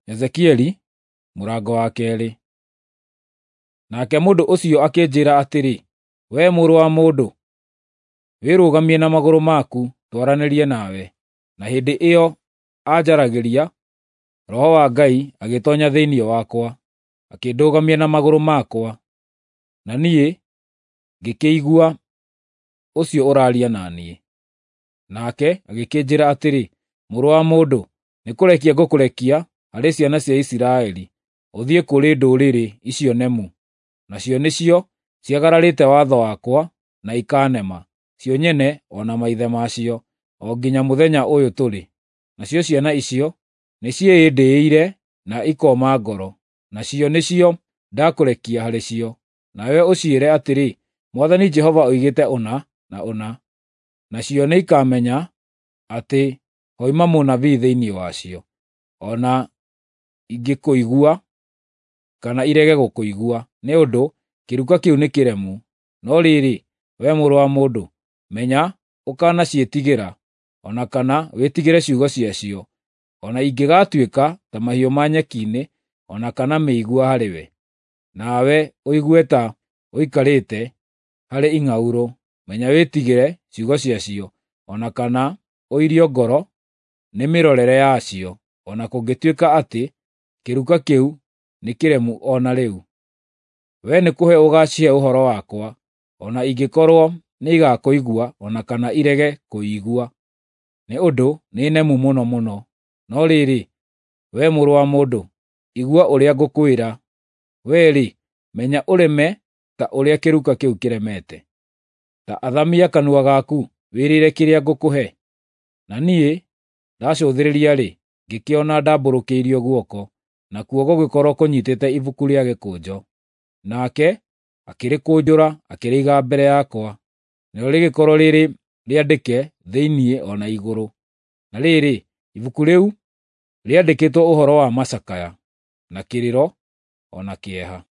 Ezekieli mũrango wa 2. Nake mũndũ ũcio akĩnjĩĩra atĩrĩ, “Wee mũrũ wa mũndũ, wĩrũgamie na magũrũ maku twaranĩrie nawe.” Na hĩndĩ ĩyo aanjaragĩria, Roho wa Ngai agĩtoonya thĩinĩ wakwa, akĩndũgamia na magũrũ makwa, na niĩ ngĩkĩigua ũcio ũraaria na niĩ. Nake agĩkĩnjĩĩra atĩrĩ, “Mũrũ wa mũndũ, nĩkũrekia ngũkũrekia harĩ ciana cia Isiraeli, ũthiĩ kũrĩ ndũrĩrĩ icio nemu, nacio nĩcio ciagararĩte watho wakwa na ikaanema, cio nyene o na maithe ma cio, o nginya mũthenya ũyũ tũrĩ. Nacio ciana icio nĩciĩĩndĩire na ikooma ngoro, nacio nĩcio ndakũrekia harĩ cio. Nawe ũciĩre atĩrĩ, ‘Mwathani Jehova oigĩte ũna na ũna.’ Nacio nĩikamenya atĩ hoima mũnabii thĩinĩ wacio, o na ingĩkũigua kana irege gũkũigua, nĩ ũndũ kĩruka kĩu nĩ kĩremu. No rĩrĩ, wee mũrũ wa mũndũ, menya ũkanaciĩtigĩra, o na kana wĩtigĩre ciugo ciacio, o na ingĩgaatuĩka ta mahiũ ma nyeki-inĩ o na kana mĩigua harĩwe. Nawe ũigue ta ũikarĩte harĩ ing'aurũ, menya wĩtigĩre ciugo ciacio, o na kana ũirio ngoro nĩ mĩrorere yacio, o na kũngĩtuĩka atĩ kĩruka kĩu nĩ kĩremu o na rĩu. Wee nĩkũhe ũgaacihe ũhoro wakwa, o na ingĩkorwo nĩigakũigua o na kana irege kũũigua, nĩ ũndũ nĩ nemu mũno mũno. No rĩrĩ, wee mũrũ wa mũndũ, igua ũrĩa ngũkwĩra. Wee-rĩ, menya ũreme ta ũrĩa kĩruka kĩu kĩremete. Ta athamia kanua gaku wĩrĩre kĩrĩa ngũkũhe.” Na niĩ ndacũthĩrĩria-rĩ, ngĩkĩona ndambũrũkĩirio guoko, nakuo gũgĩkorwo kũnyiitĩte ibuku rĩa gĩkũnjo. Nake akĩrĩkũnjũra akĩrĩiga mbere yakwa, narĩo rĩgĩkorwo rĩrĩ rĩandĩke thĩinĩ o na igũrũ. Na rĩrĩ, ibuku rĩu rĩandĩkĩtwo ũhoro wa macakaya, na kĩrĩro, o na kĩeha.